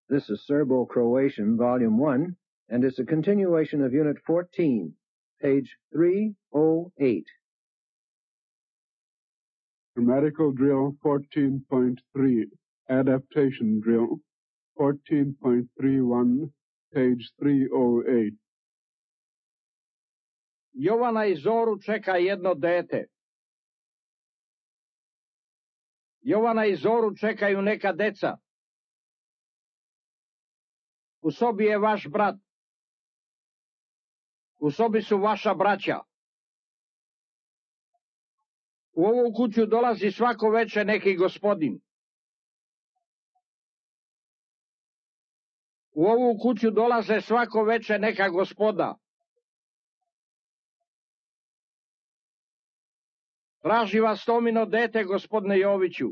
This is Serbo-Croatian, Volume 1, and is a continuation of Unit 14, page 308. Grammatical Drill 14.3, Adaptation Drill 14.31, page 308. Jovana i Zoru čeka jedno dete. Jovana i Zoru čekaju neka deca. U sobi je vaš brat. U sobi su vaša braća. U ovu kuću dolazi svako veče neki gospodin. U ovu kuću dolaze svako veče neka gospoda. Traži vas Tomino dete, gospodine Joviću.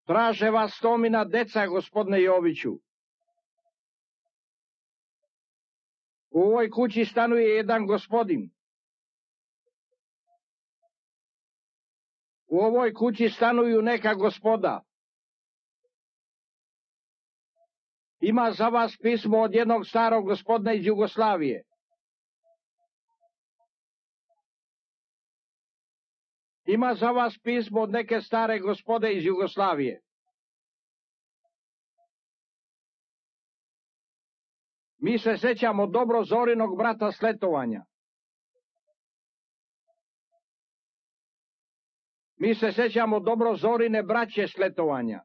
Traže vas Tomina deca, gospodine Joviću. U ovoj kući stanuje jedan gospodin. U ovoj kući stanuju neka gospoda. Ima za vas pismo od jednog starog gospodina iz Jugoslavije. Ima za vas pismo od neke stare gospode iz Jugoslavije. Mi se sećamo dobro Zorinog brata s letovanja. Mi se sećamo dobro Zorine braće s letovanja.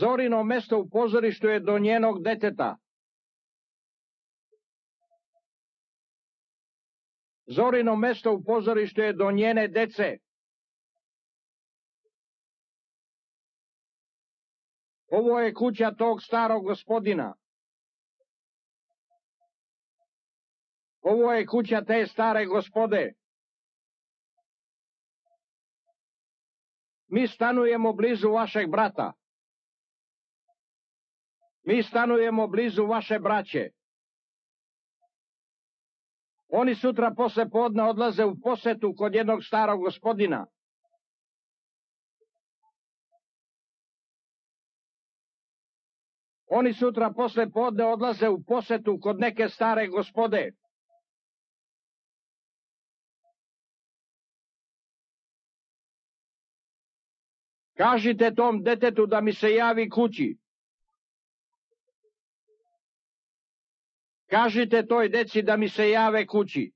Zorino mesto u pozorištu je do njenog deteta. Zorino mesto u pozorištu je do njene dece. Ovo je kuća tog starog gospodina. Ovo je kuća te stare gospode. Mi stanujemo blizu vašeg brata. Mi stanujemo blizu vaše braće. Oni sutra posle podne odlaze u posetu kod jednog starog gospodina. Oni sutra posle podne odlaze u posetu kod neke stare gospode. Kažite tom detetu da mi se javi kući. Kažite toj deci da mi se jave kući.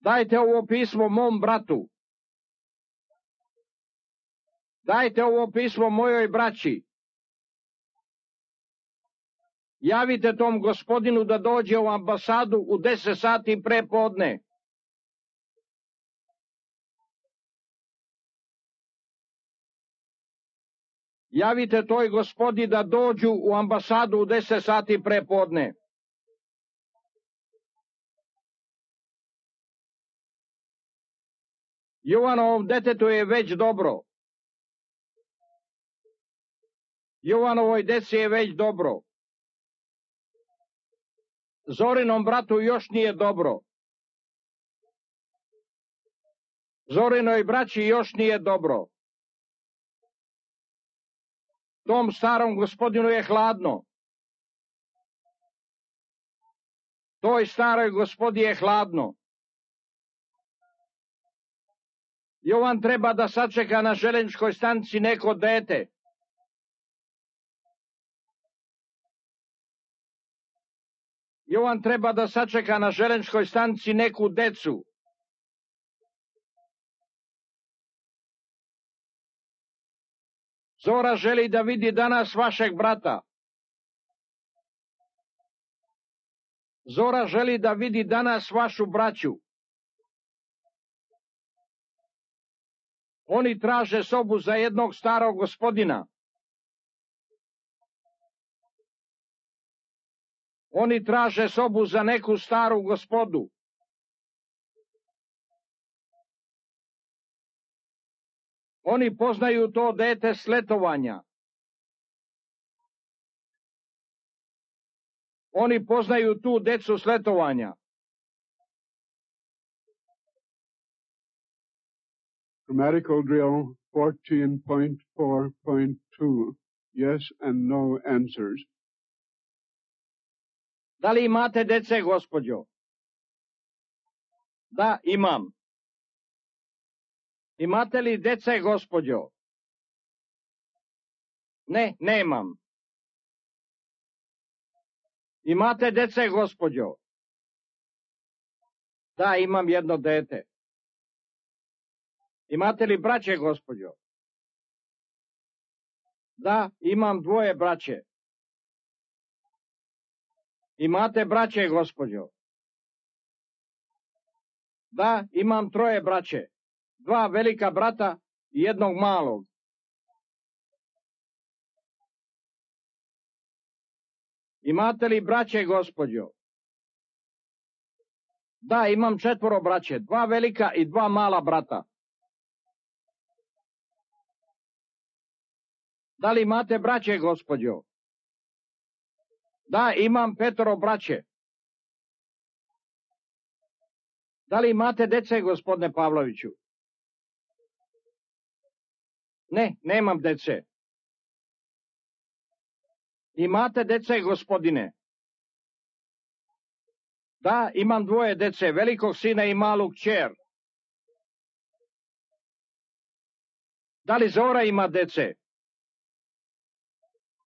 Dajte ovo pismo mom bratu. Dajte ovo pismo mojoj braći. Javite tom gospodinu da dođe u ambasadu u 10 sati pre podne. Javite toj gospodi da dođu u ambasadu u 10 sati pre podne. Jovanovom detetu je već dobro. Jovanovoj deci je već dobro. Zorinom bratu još nije dobro. Zorinoj braći još nije dobro. Tom starom gospodinu je hladno. Toj staroj gospodi je hladno. Jovan treba da sačeka na željezničkoj stanici neko dete. Jovan treba da sačeka na željezničkoj stanici neku decu. Zora želi da vidi danas vašeg brata. Zora želi da vidi danas vašu braću. Oni traže sobu za jednog starog gospodina. Oni traže sobu za neku staru gospodu. Oni poznaju to dete s letovanja. Oni poznaju tu decu s letovanja. Grammatical drill 14.4.2. Yes and no answers. Da li imate dece, gospođo? Da, imam. Imate li dece, gospođo? Ne, nemam. Imate dece, gospođo? Da, imam jedno dete. Imate li braće, gospođo? Da, imam dvoje braće. Imate braće, gospođo? Da, imam troje braće. Dva velika brata i jednog malog. Imate li braće, gospođo? Da, imam četvoro braće. Dva velika i dva mala brata. Da li imate braće, gospođo? Da, imam petoro braće. Da li imate dece, gospodine Pavloviću? Ne, nemam dece. Imate dece, gospodine? Da, imam dvoje dece, velikog sina i malu kćer. Da li Zora ima dece?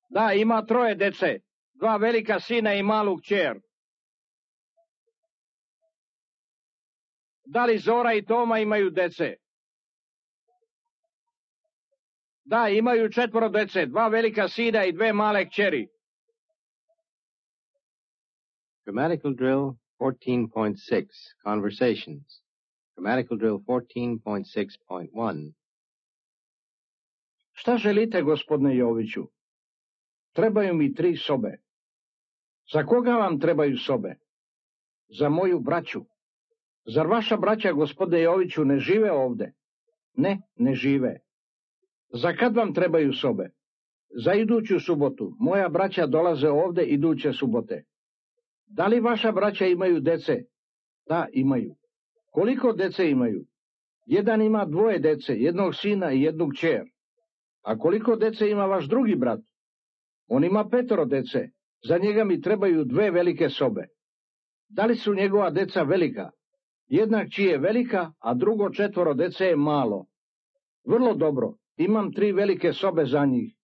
Da, ima troje dece, dva velika sina i malu kćer. Da li Zora i Toma imaju dece? Da, imaju četvoro dece, dva velika sina i dve male kćeri. Grammatical drill 14.6, Conversations. Grammatical drill 14.6.1. Šta želite, gospodine Joviću? Trebaju mi 3 sobe. Za koga vam trebaju sobe? Za moju braću. Zar vaša braća, gospodine Joviću, ne žive ovde? Ne, ne žive. Za kad vam trebaju sobe? Za iduću subotu. Moja braća dolaze ovde iduće subote. Da li vaša braća imaju dece? Da, imaju. Koliko dece imaju? Jedan ima dvoje dece, jednog sina i jednu kćer. A koliko dece ima vaš drugi brat? On ima 5 dece. Za njega mi trebaju 2 velike sobe. Da li su njegova deca velika? Jedna kći je velika, a drugo 4 dece je malo. Vrlo dobro. Imam 3 velike sobe za njih.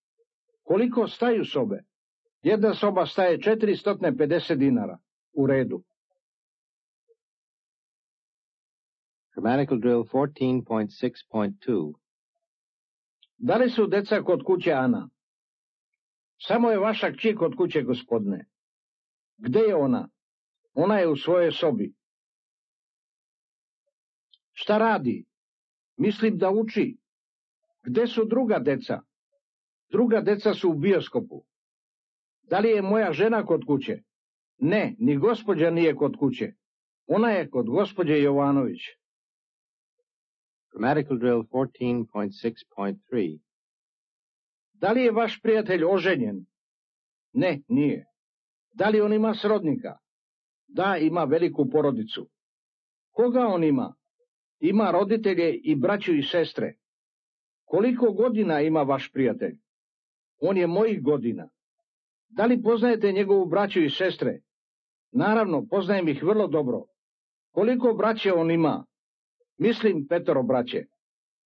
Koliko staju sobe? Jedna soba staje 450 dinara. U redu. Grammatical drill 14.6.2. Da li su deca kod kuće, Ana? Samo je vaša kći kod kuće, gospodine. Gde je ona? Ona je u svojoj sobi. Šta radi? Mislim da uči. Gde su druga deca? Druga deca su u bioskopu. Da li je moja žena kod kuće? Ne, ni gospođa nije kod kuće. Ona je kod gospođe Jovanović. Grammatical drill 14.6.3. Da li je vaš prijatelj oženjen? Ne, nije. Da li on ima srodnika? Da, ima veliku porodicu. Koga on ima? Ima roditelje i braću i sestre. Koliko godina ima vaš prijatelj? On je mojih godina. Da li poznajete njegovu braću i sestre? Naravno, poznajem ih vrlo dobro. Koliko braće on ima? Mislim 5 braće.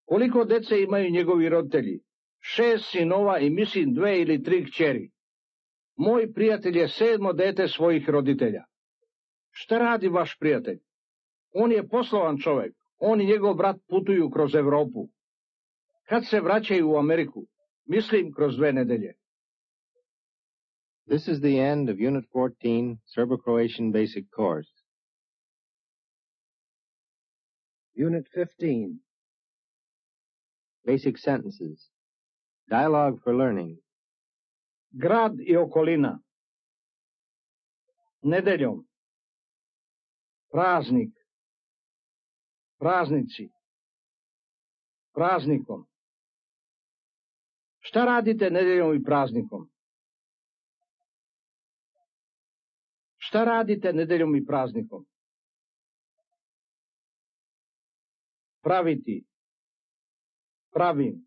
Koliko dece imaju njegovi roditelji? 6 sinova i mislim 2 ili 3 kćeri. Moj prijatelj je 7 dete svojih roditelja. Šta radi vaš prijatelj? On je poslovan čovek. On i njegov brat putuju kroz Evropu. Kad se vraćaju u Ameriku? Mislim kroz 2 nedelje. This is the end of Unit 14, Serbo-Croatian Basic Course. Unit 15. Basic Sentences. Dialogue for Learning. Grad i okolina. Nedeljom. Praznik. Praznici. Praznikom. Šta radite nedeljom i praznikom? Šta radite nedeljom i praznikom? Praviti. pravim,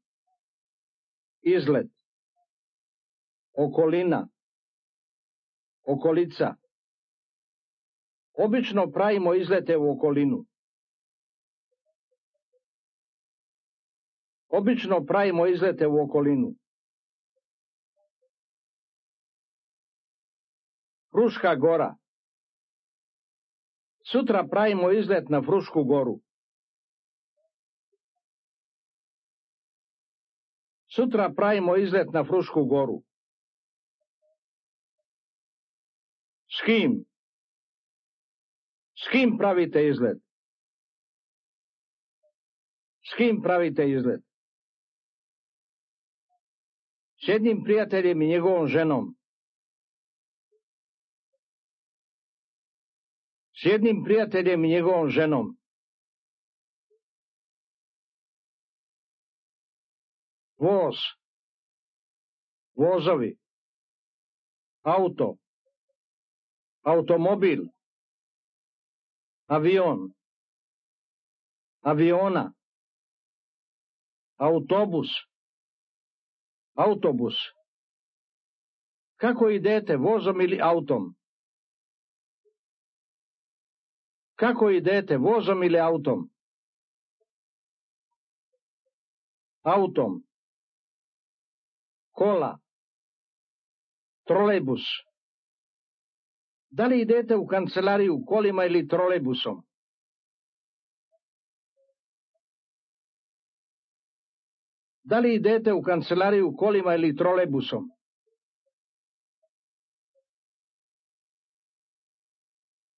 izlet, okolina, okolica. Obično pravimo izlete u okolinu. Obično pravimo izlete u okolinu. Fruška gora. Sutra pravimo izlet na Frušku goru. Sutra pravimo izlet na Frušku goru. S kim? S kim pravite izlet? S kim pravite izlet? S jednim prijateljem i njegovom ženom. S jednim prijateljem i njegovom ženom. Voz. Vozovi. Auto. Automobil. Avion. Aviona. Autobus. Autobus. Kako idete, vozom ili autom? Kako idete, vozom ili autom? Autom. Kola. Trolejbus. Da li idete u kancelariju kolima ili trolejbusom? Da li idete u kancelariju kolima ili trolejbusom?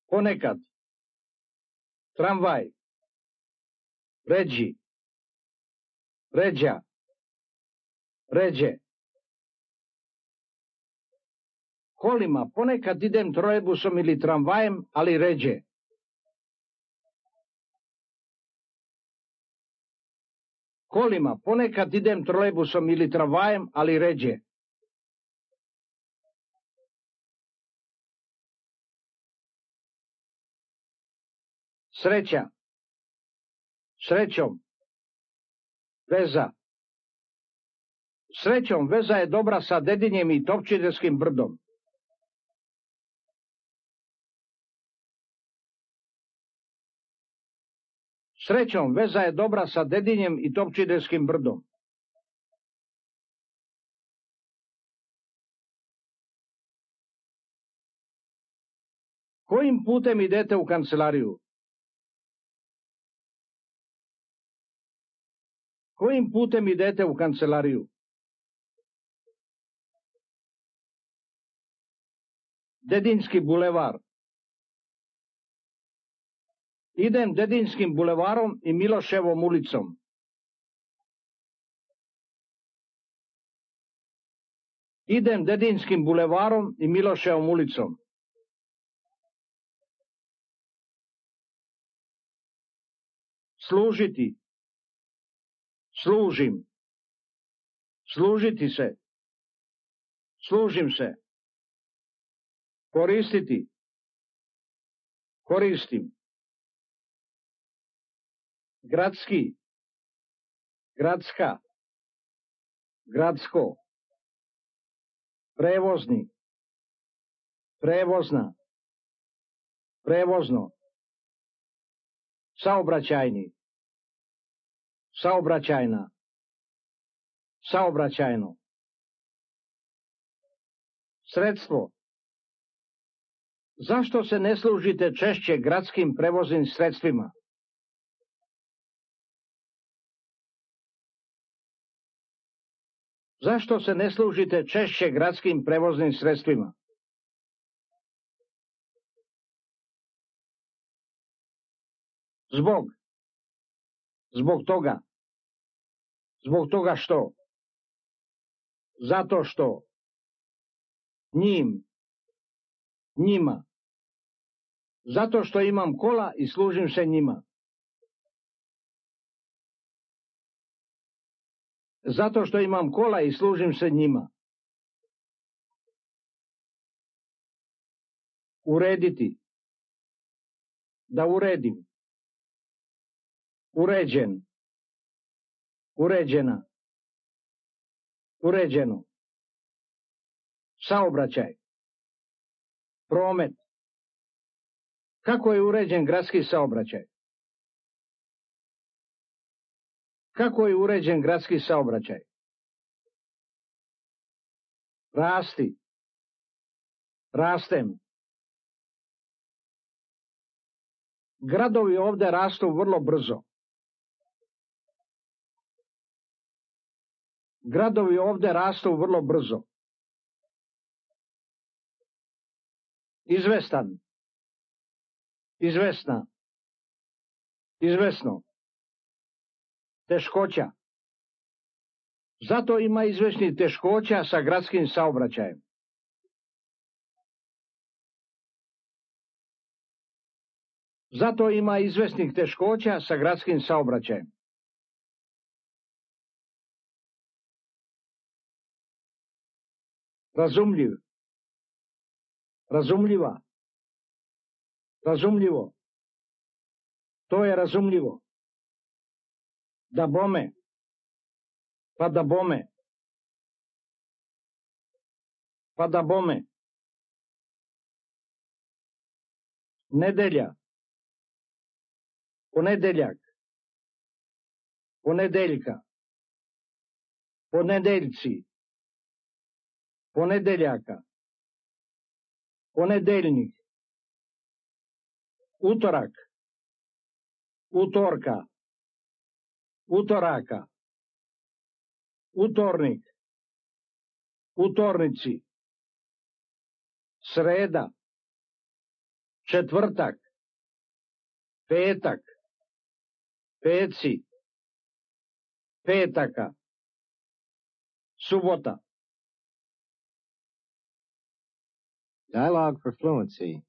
Ponekad. Tramvaj. Ređi. Ređa. Ređe. Kolima, ponekad idem trolejbusom ili tramvajem, ali ređe. Kolima, ponekad idem trolejbusom ili tramvajem, ali ređe. Sreća. Srećom. Veza. Srećom, veza je dobra sa Dedinjem i Topčiderskim brdom. Srećom, veza je dobra sa Dedinjem i Topčiderskim brdom. Kojim putem idete u kancelariju? Kojim putem idete u kancelariju? Dedinski bulevar. Idem Dedinskim bulevarom i Miloševom ulicom. Idem Dedinskim bulevarom i Miloševom ulicom. Služiti. Služim. Služiti se. Služim se. Koristiti. Koristim. Gradski. Gradska. Gradsko. Prevozni. Prevozna. Prevozno. Saobraćajni. Saobraćajna. Saobraćajno. Sredstvo. Zašto se ne služite češće gradskim prevoznim sredstvima? Zašto se ne služite češće gradskim prevoznim sredstvima? Zbog. Zbog toga. Zbog toga što? Zato što. Njim. Njima. Zato što imam kola i služim se njima. Zato što imam kola i služim se njima. Urediti. Da uredim. Uređen. Uređena. Uređeno. Saobraćaj. Promet. Kako je uređen gradski saobraćaj? Kako je uređen gradski saobraćaj? Rasti. Rastem. Gradovi ovde rastu vrlo brzo. Gradovi ovde rastu vrlo brzo. Izvestan. Izvesna. Izvesno. Teškoća. Zato ima izvesnih teškoća sa gradskim saobraćajem. Zato ima izvesnih teškoća sa gradskim saobraćajem. Razumljiv. Razumljiva. Razumljivo. To je razumljivo. Da bome. Pa da bome. Pa da bome. Nedelja. Ponedeljak. Ponedeljka. Ponedeljci. Ponedeljaka. Ponedeljnik. Utorak. Utorka. Utoraka. Utornik. Utornici. Sreda. Četvrtak. Petak. Peci. Petaka. Subota. Dialogue for fluency.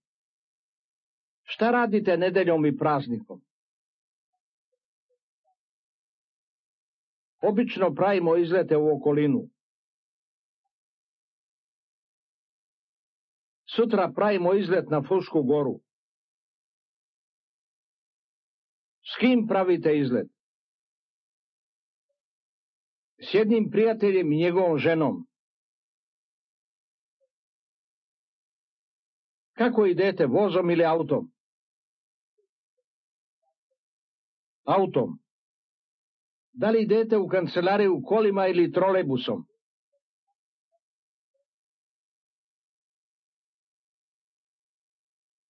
Šta radite nedeljom i praznikom? Obično pravimo izlete u okolinu. Sutra pravimo izlet na Frušku goru. S kim pravite izlet? S jednim prijateljem i njegovom ženom. Kako idete, vozom ili autom? Autom. Da li idete u kancelariju kolima ili trolejbusom?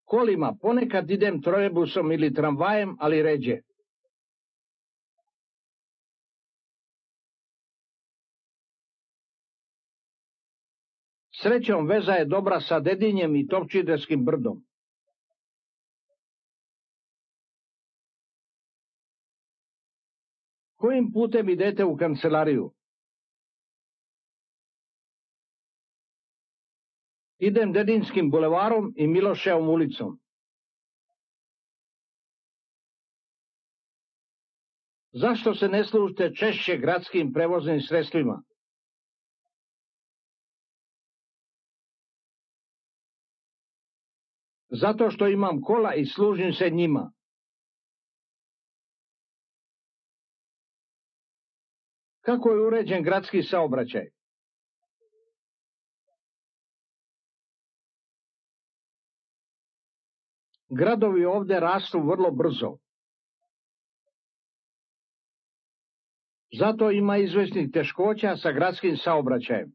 Kolima, ponekad idem trolejbusom ili tramvajem, ali ređe. Srećom, veza je dobra sa Dedinjem i Topčiderskim brdom. Kojim putem idete u kancelariju? Idem Dedinskim bulevarom i Miloševom ulicom. Zašto se ne služite češće gradskim prevoznim sredstvima? Zato što imam kola i služim se njima. Kako je uređen gradski saobraćaj? Gradovi ovde rastu vrlo brzo. Zato ima izvesnih teškoća sa gradskim saobraćajem.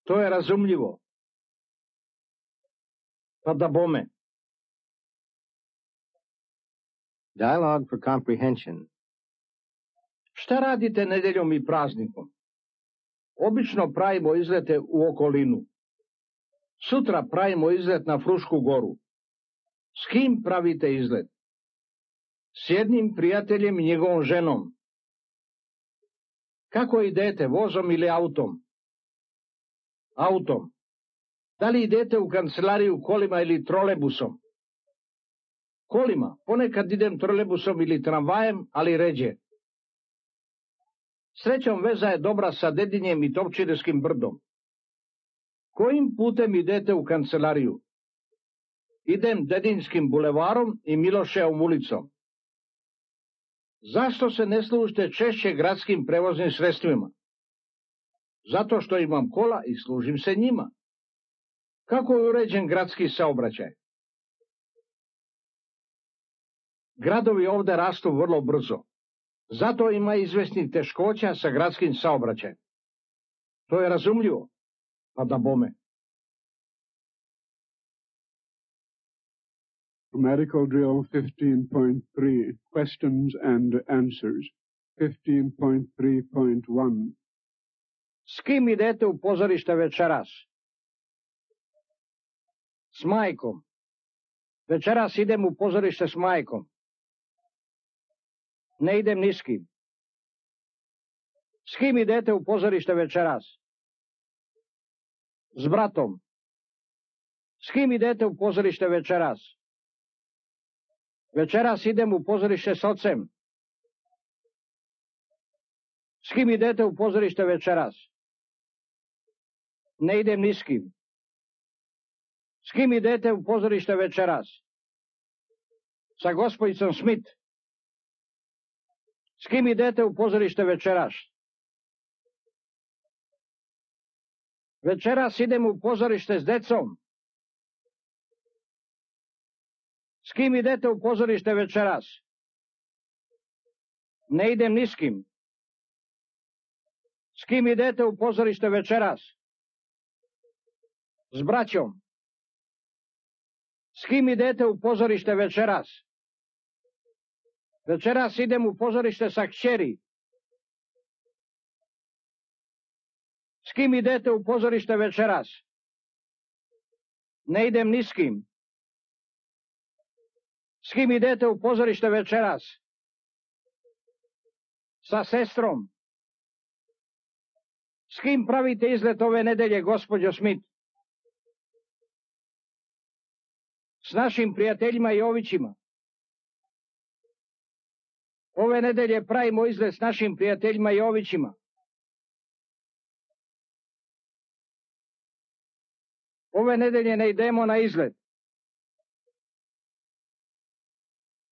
To je razumljivo. Pa da bome. Dialogue for comprehension. Šta radite nedeljom i praznikom? Obično pravimo izlete u okolinu. Sutra pravimo izlet na Frušku goru. S kim pravite izlet? S jednim prijateljem i njegovom ženom. Kako idete, vozom ili autom? Autom. Da li idete u kancelariju kolima ili trolejbusom? Kolima, ponekad idem trolejbusom ili tramvajem, ali ređe. Srećom, veza je dobra sa Dedinjem i Topčiderskim brdom. Kojim putem idete u kancelariju? Idem Dedinskim bulevarom i Miloševom ulicom. Zašto se ne služite češće gradskim prevoznim sredstvima? Zato što imam kola i služim se njima. Kako je uređen gradski saobraćaj? Gradovi ovde rastu vrlo brzo. Zato ima izvesnih teškoća sa gradskim saobraćajem. To je razumljivo, pa da bome. Grammatical drill 15.3, questions and answers. 15.3.1. S kim idete u pozorište večeras? S majkom. Večeras idem u pozorište s majkom. Ne idem ni s kim. S kim idete u pozorište večeras? S bratom. S kim idete u pozorište večeras? Večeras idem u pozorište s ocem. S kim idete u pozorište večeras? Ne idem ni s kim. S kim idete u pozorište večeras? Sa gospodicom Smith. S kim idete u pozorište večeras? Večeras idem u pozorište s decom. S kim idete u pozorište večeras? Ne idem ni s kim. S kim idete u pozorište večeras? S braćom. S kim idete u pozorište večeras? Večeras idem u pozorište sa kćeri. S kim idete u pozorište večeras? Ne idem ni s kim. S kim idete u pozorište večeras? Sa sestrom. S kim pravite izlet ove nedelje, gospođo Smith? S našim prijateljima Jovićima. Ove nedelje pravimo izlet s našim prijateljima Jovićima. Ove nedelje ne idemo na izlet.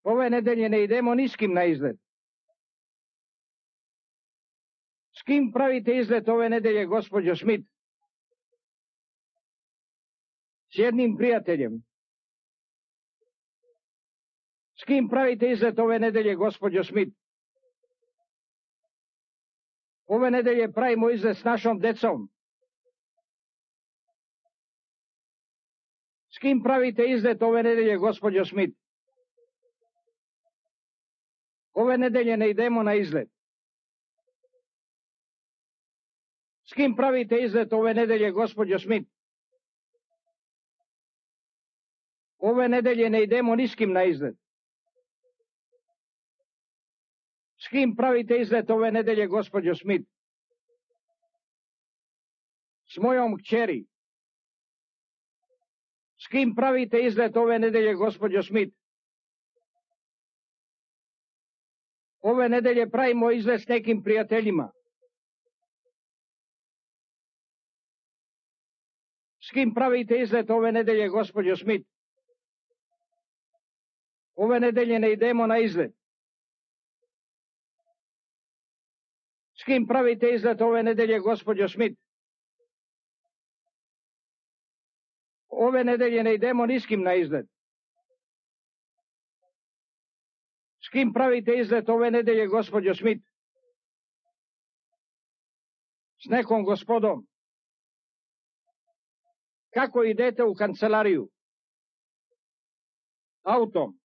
Ove nedelje ne idemo ni s kim na izlet. S kim pravite izlet ove nedelje, gospođo Smith? S jednim prijateljem. S kim pravite izlet ove nedelje, gospođo Smith? Ove nedelje pravimo izlet s našom decom. S kim pravite izlet ove nedelje, gospođo Smith? Ove nedelje ne idemo na izlet. S kim pravite izlet ove nedelje, gospođo Smith? Ove nedelje ne idemo ni s kim na izlet. S kim pravite izlet ove nedelje, gospođo Smith? S mojom kćeri. S kim pravite izlet ove nedelje, gospođo Smith? Ove nedelje pravimo izlet s nekim prijateljima. S kim pravite izlet ove nedelje, gospođo Smith? Ove nedelje ne idemo na izlet. S kim pravite izlet ove nedelje, gospođo Smith? Ove nedelje ne idemo ni s kim na izlet. S kim pravite izlet ove nedelje, gospođo Smith? S nekom gospodom. Kako idete u kancelariju? Autom.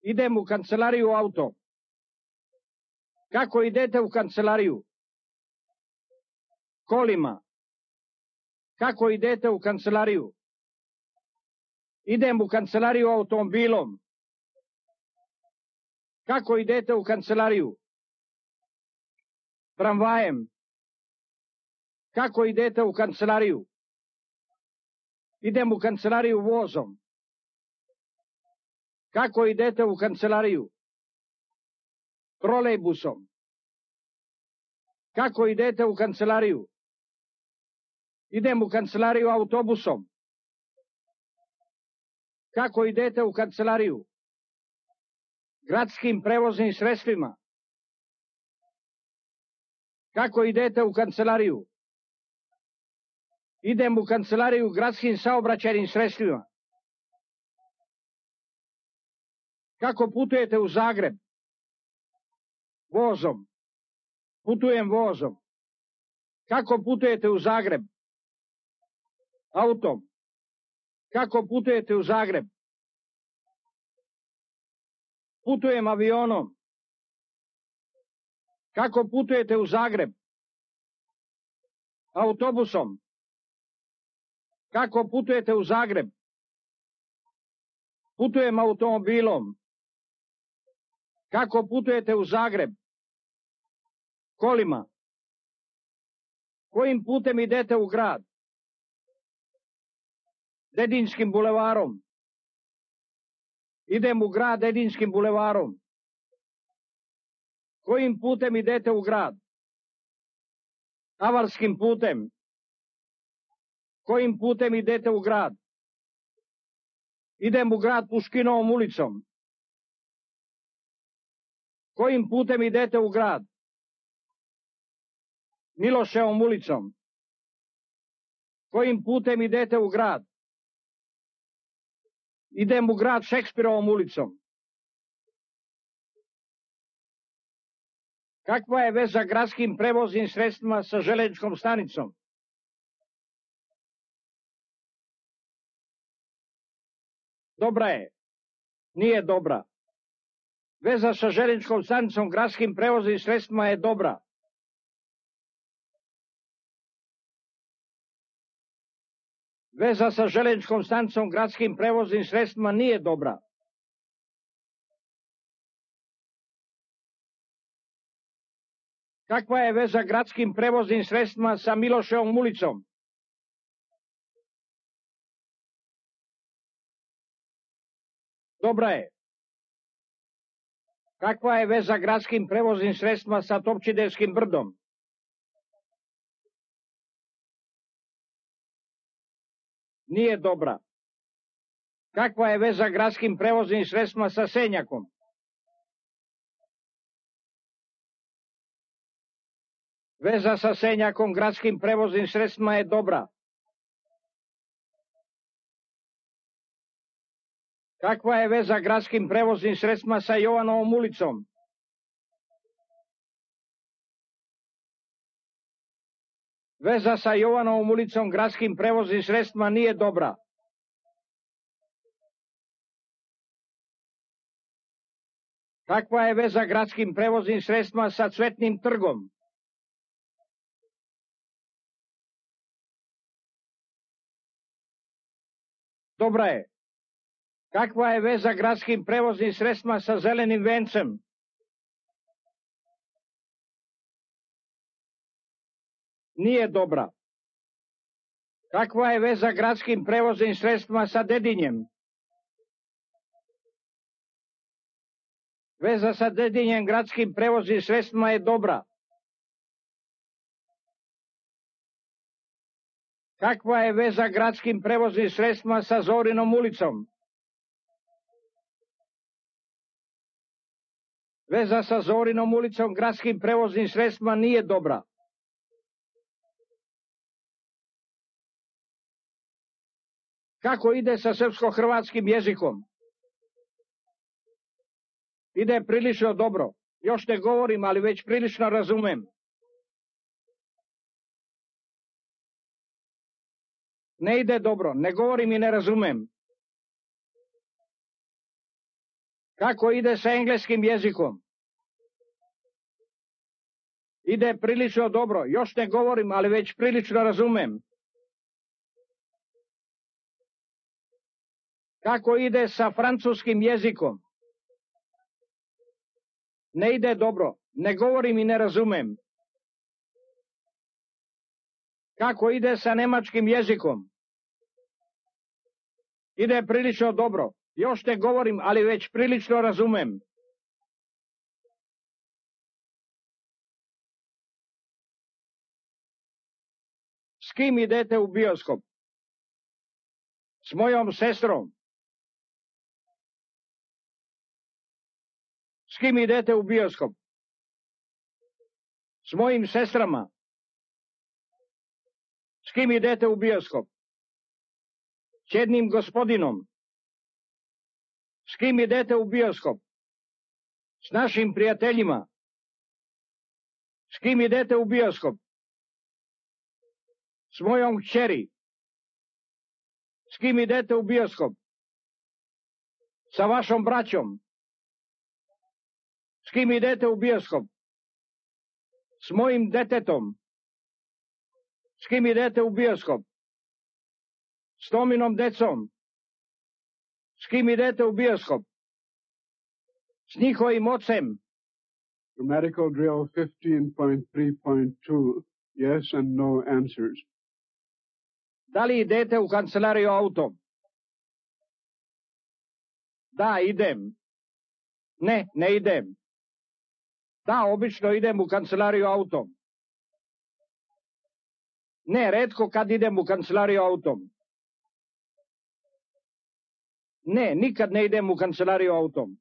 Idem u kancelariju autom. Kako idete u kancelariju? Kolima. Kako idete u kancelariju? Idem u kancelariju automobilom. Kako idete u kancelariju? Tramvajem. Kako idete u kancelariju? Idem u kancelariju vozom. Kako idete u kancelariju? Trolejbusom. Kako idete u kancelariju? Idem u kancelariju autobusom. Kako idete u kancelariju? Gradskim prevoznim sredstvima. Kako idete u kancelariju? Idem u kancelariju gradskim saobraćajnim sredstvima. Kako putujete u Zagreb? Vozom. Putujem vozom. Kako putujete u Zagreb? Autom. Kako putujete u Zagreb? Putujem avionom. Kako putujete u Zagreb? Autobusom. Kako putujete u Zagreb? Putujem automobilom. Kako putujete u Zagreb? Kolima. Kojim putem idete u grad? Dedinskim bulevarom. Idem u grad Dedinskim bulevarom. Kojim putem idete u grad? Avalskim putem. Kojim putem idete u grad? Idem u grad Puškinovom ulicom. Kojim putem idete u grad? Miloševom ulicom. Kojim putem idete u grad? Idem u grad Šekspirovom ulicom. Kakva je veza gradskim prevoznim sredstvima sa železničkom stanicom? Dobra je. Nije dobra. Veza sa železničkom stanicom gradskim prevoznim sredstvima je dobra. Veza sa železničkom stanicom gradskim prevoznim sredstvima nije dobra. Kakva je veza gradskim prevoznim sredstvima sa Miloševom ulicom? Dobra je. Kakva je veza gradskim prevoznim sredstvima sa Topčidevskim brdom? Nije dobra. Kakva je veza gradskim prevoznim sredstvima sa Senjakom? Veza sa Senjakom gradskim prevoznim sredstvima je dobra. Kakva je veza gradskim prevoznim sredstvima sa Jovanovom ulicom? Veza sa Jovanovom ulicom gradskim prevoznim sredstvima nije dobra. Kakva je veza gradskim prevoznim sredstvima sa Cvetnim trgom? Dobra je. Kakva je veza gradskim prevoznim sredstvima sa Zelenim vencem? Nije dobra. Kakva je veza gradskim prevoznim sredstvima sa Dedinjem? Veza sa Dedinjem gradskim prevoznim sredstvima je dobra. Kakva je veza gradskim prevoznim sredstvima sa Zorinom ulicom? Veza sa Zorinom ulicom gradskim prevoznim sredstvima nije dobra. Kako ide sa srpsko-hrvatskim jezikom? Ide prilično dobro. Još ne govorim, ali već prilično razumem. Ne ide dobro, ne govorim i ne razumem. Kako ide sa engleskim jezikom? Ide prilično dobro, još ne govorim, ali već prilično razumem. Kako ide sa francuskim jezikom? Ne ide dobro, ne govorim i ne razumem. Kako ide sa nemačkim jezikom? Ide prilično dobro, još ne govorim, ali već prilično razumem. S kim idete u bioskop? S mojom sestrom. kim idete u bioskop? S mojim sestrama. S kim idete u bioskop? S jednim gospodinom. S kim idete u bioskop? S našim prijateljima. S kim idete u bioskop? S mojom kćeri. S kim idete u bioskop? Sa vašom braćom. S kim idete u bioskop? S mojim detetom. S kim idete u bioskop? S Tominom decom. S kim idete u bioskop? S njihovim ocem. Grammatical drill 15.3.2. Yes and no answers. Da li idete u kancelariju autom? Da, idem. Ne, ne idem. Da, obično idem u kancelariju autom. Ne, retko kad idem u kancelariju autom. Ne, nikad ne idem u kancelariju autom.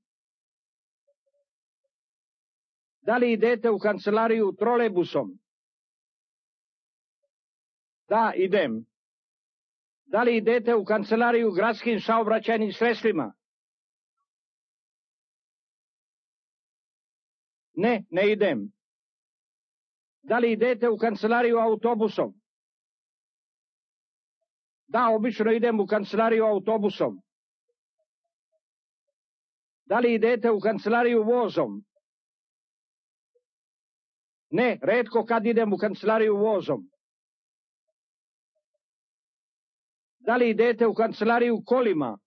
Da li idete u kancelariju trolejbusom? Da, idem. Da li idete u kancelariju gradskim saobraćajnim sredstvima? Ne, ne idem. Da li idete u kancelariju autobusom? Da, obično idem u kancelariju autobusom. Da li idete u kancelariju vozom? Ne, retko kad idem u kancelariju vozom. Da li idete u kancelariju kolima?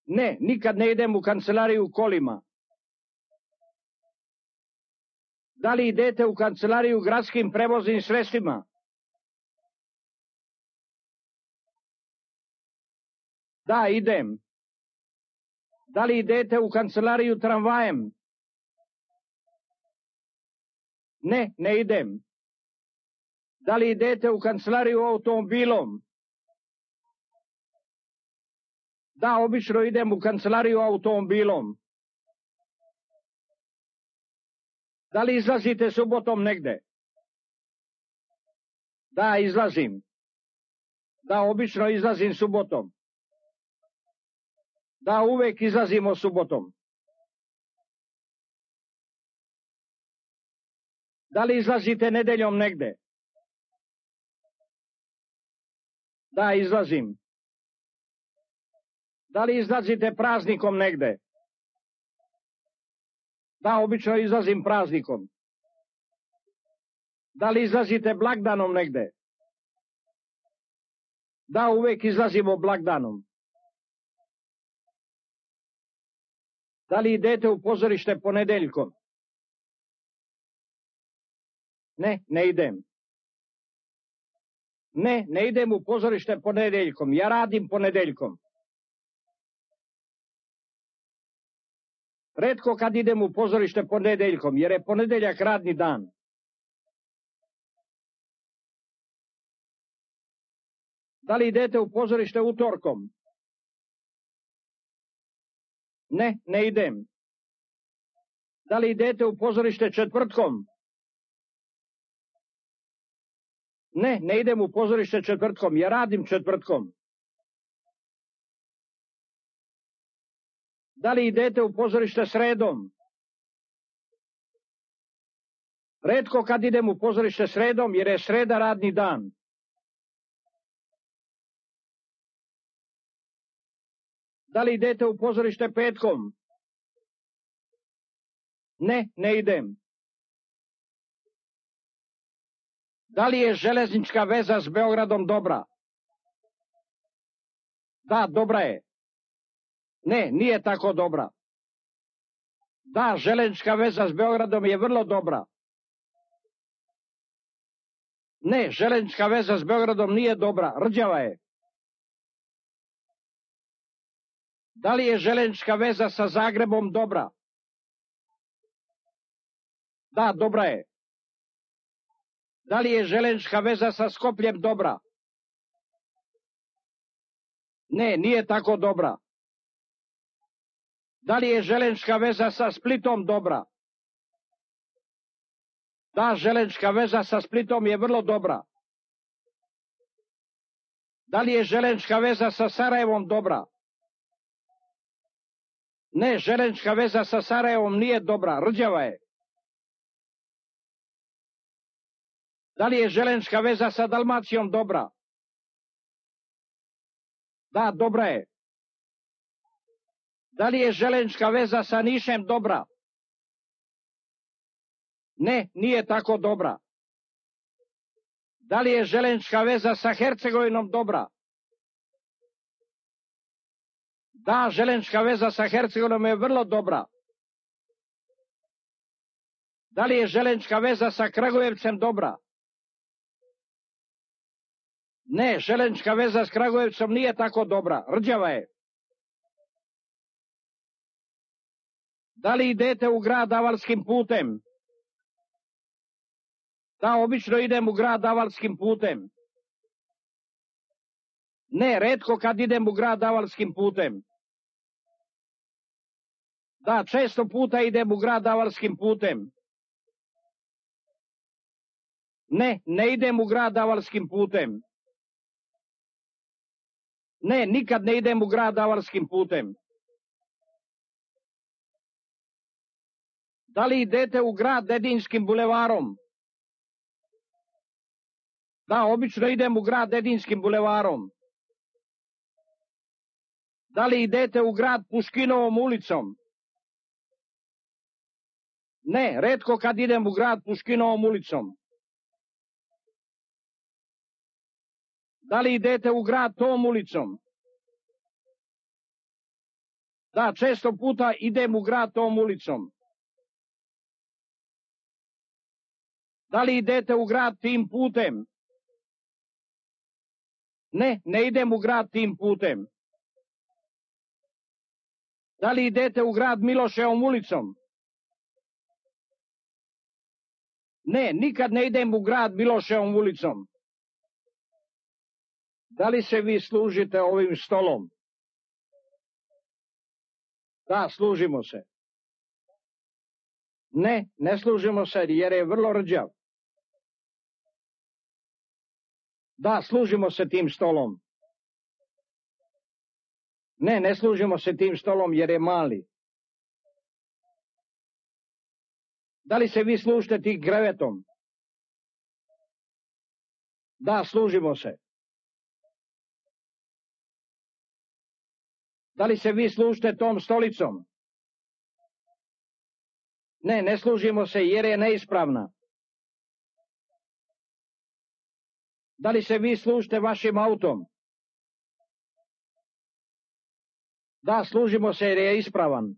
Ne, nikad ne idem u kancelariju kolima. Da li idete u kancelariju gradskim prevoznim sredstvima? Da, idem. Da li idete u kancelariju tramvajem? Ne, ne idem. Da li idete u kancelariju automobilom? Da, obično idem u kancelariju automobilom. Da li izlazite subotom negde? Da, izlazim. Da, obično izlazim subotom. Da, uvek izlazimo subotom. Da li izlazite nedeljom negde? Da, izlazim. Da li izlazite praznikom negde? Da, obično izlazim praznikom. Da li izlazite blagdanom negde? Da, uvek izlazimo blagdanom. Da li idete u pozorište ponedeljkom? Ne, ne idem. Ne, ne idem u pozorište ponedeljkom. Ja radim ponedeljkom. Retko kad idem u pozorište ponedeljkom, jer je ponedeljak radni dan. Da li idete u pozorište utorkom? Ne, ne idem. Da li idete u pozorište četvrtkom? Ne, ne idem u pozorište četvrtkom, ja radim četvrtkom. Da li idete u pozorište sredom? Retko kad idem u pozorište sredom, jer je sreda radni dan. Da li idete u pozorište petkom? Ne, ne idem. Da li je železnička veza s Beogradom dobra? Da, dobra je. Ne, nije tako dobra. Da, železnička veza s Beogradom je vrlo dobra. Ne, železnička veza s Beogradom nije dobra, rđava je. Da li je železnička veza sa Zagrebom dobra? Da, dobra je. Da li je železnička veza sa Skopljem dobra? Ne, nije tako dobra. Da li je železnička veza sa Splitom dobra? Da, železnička veza sa Splitom je vrlo dobra. Da li je železnička veza sa Sarajevom dobra? Ne, železnička veza sa Sarajevom nije dobra, rđava je. Da li je železnička veza sa Dalmacijom dobra? Da, dobra je. Da li je železnička veza sa Nišem dobra? Ne, nije tako dobra. Da li je železnička veza sa Hercegovinom dobra? Da, železnička veza sa Hercegovinom je vrlo dobra. Da li je železnička veza sa Kragujevcem dobra? Ne, železnička veza s Kragujevcem nije tako dobra, rđava je. Da li idete u grad Avalskim putem? Da, obično idem u grad Avalskim putem. Ne, retko kad idem u grad Avalskim putem. Da, često puta idem u grad Avalskim putem. Ne, ne idem u grad Avalskim putem. Ne, nikad ne idem u grad Avalskim putem. Da li idete u grad Dedinskim bulevarom? Da, obično idem u grad Dedinskim bulevarom. Da li idete u grad Puškinovom ulicom? Ne, retko kad idem u grad Puškinovom ulicom. Da li idete u grad tom ulicom? Da, često puta idem u grad tom ulicom. Da li idete u grad tim putem? Ne, ne idem u grad tim putem. Da li idete u grad Miloševom ulicom? Ne, nikad ne idem u grad Miloševom ulicom. Da li se vi služite ovim stolom? Da, služimo se. Ne, ne služimo se jer je vrlo rđav. Da, služimo se tim stolom. Ne, ne služimo se tim stolom jer je mali. Da li se vi služite tim krevetom? Da, služimo se. Da li se vi služite tom stolicom? Ne, ne služimo se jer je neispravna. Da li se vi služite vašim autom? Da, služimo se jer je ispravan.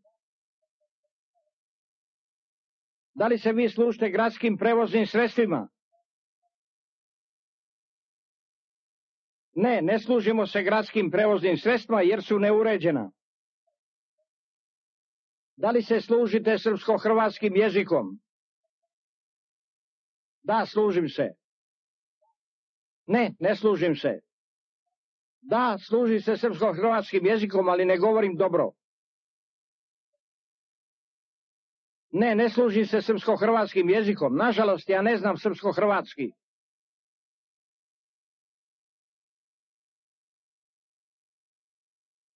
Da li se vi služite gradskim prevoznim sredstvima? Ne, ne služimo se gradskim prevoznim sredstvima jer su neuređena. Da li se služite srpsko-hrvatskim jezikom? Da, služim se. Ne, ne služim se. Da, služim se srpsko-hrvatskim jezikom, ali ne govorim dobro. Ne, ne služim se srpsko-hrvatskim jezikom. Nažalost, ja ne znam srpsko-hrvatski.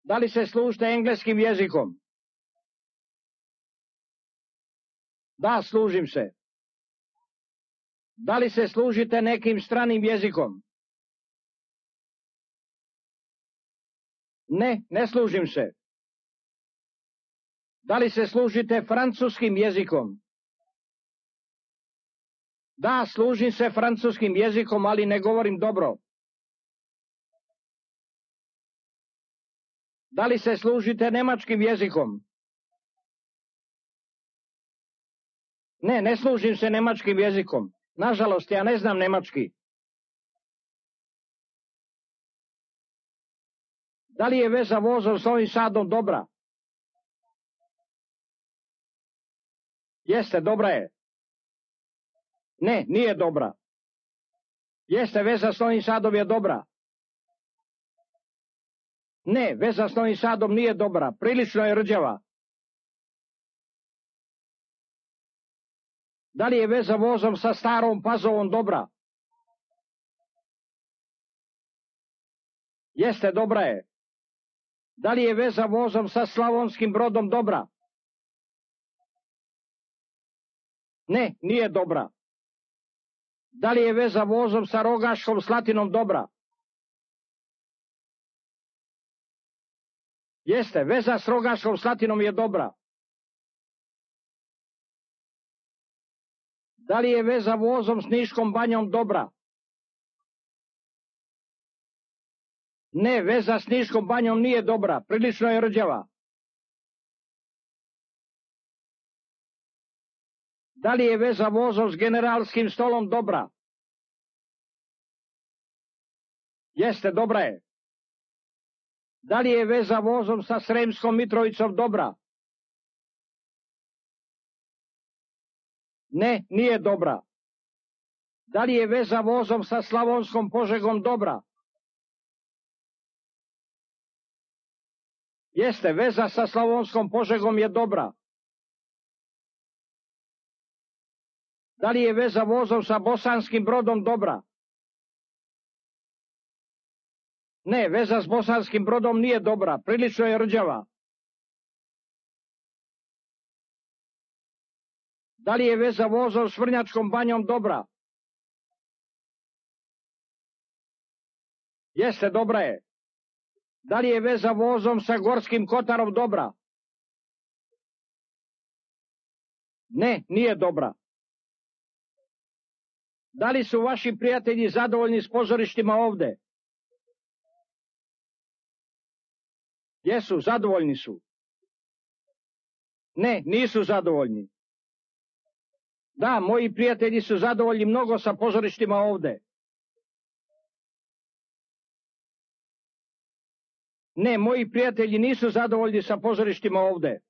Da li se služite engleskim jezikom? Da, služim se. Da li se služite nekim stranim jezikom? Ne, ne služim se. Da li se služite francuskim jezikom? Da, služim se francuskim jezikom, ali ne govorim dobro. Da li se služite nemačkim jezikom? Ne, ne služim se nemačkim jezikom. Nažalost, ja ne znam nemački. Da li je veza vozom s Novim Sadom dobra? Jeste, dobra je. Ne, nije dobra. Jeste, veza s Novim Sadom je dobra. Ne, veza s Novim Sadom nije dobra, prilično je rđava. Da li je veza vozom sa Starom Pazovom dobra? Jeste, dobra je. Da li je veza vozom sa Slavonskim Brodom dobra? Ne, nije dobra. Da li je veza vozom sa Rogaškom Slatinom dobra? Jeste, veza s Rogaškom Slatinom je dobra. Da li je veza vozom s Niškom Banjom dobra? Ne, veza s Niškom Banjom nije dobra, prilično je rđava. Da li je veza vozom s Generalskim Stolom dobra? Jeste, dobra je. Da li je veza vozom sa Sremskom Mitrovicom dobra? Ne, nije dobra. Da li je veza vozom sa Slavonskom Požegom dobra? Jeste, veza sa Slavonskom Požegom je dobra. Da li je veza vozom sa Bosanskim Brodom dobra? Ne, veza s Bosanskim Brodom nije dobra, prilično je rđava. Da li je veza vozom s Vrnjačkom Banjom dobra? Jeste, dobra je. Da li je veza vozom sa Gorskim Kotarom dobra? Ne, nije dobra. Da li su vaši prijatelji zadovoljni s pozorištima ovde? Jesu, zadovoljni su. Ne, nisu zadovoljni. Da, moji prijatelji su zadovoljni mnogo sa pozorištima ovde. Ne, moji prijatelji nisu zadovoljni sa pozorištima ovde.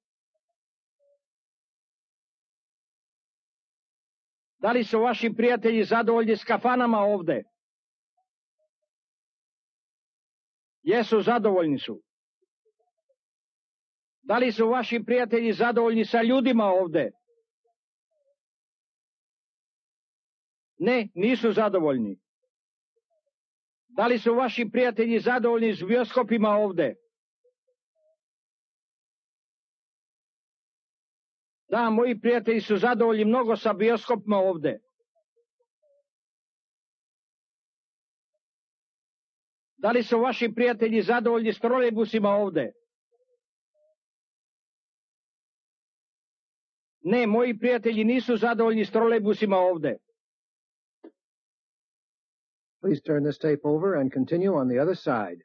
Da li su vaši prijatelji zadovoljni s kafanama ovde? Jesu, zadovoljni su. Da li su vaši prijatelji zadovoljni sa ljudima ovde? Ne, nisu zadovoljni. Da li su vaši prijatelji zadovoljni s bioskopima ovde? Da, moji prijatelji su zadovoljni mnogo sa bioskopima ovde. Da li su vaši prijatelji zadovoljni s trolejbusima ovde? Ne, moji prijatelji nisu zadovoljni s trolejbusima ovde. Please turn this tape over and continue on the other side.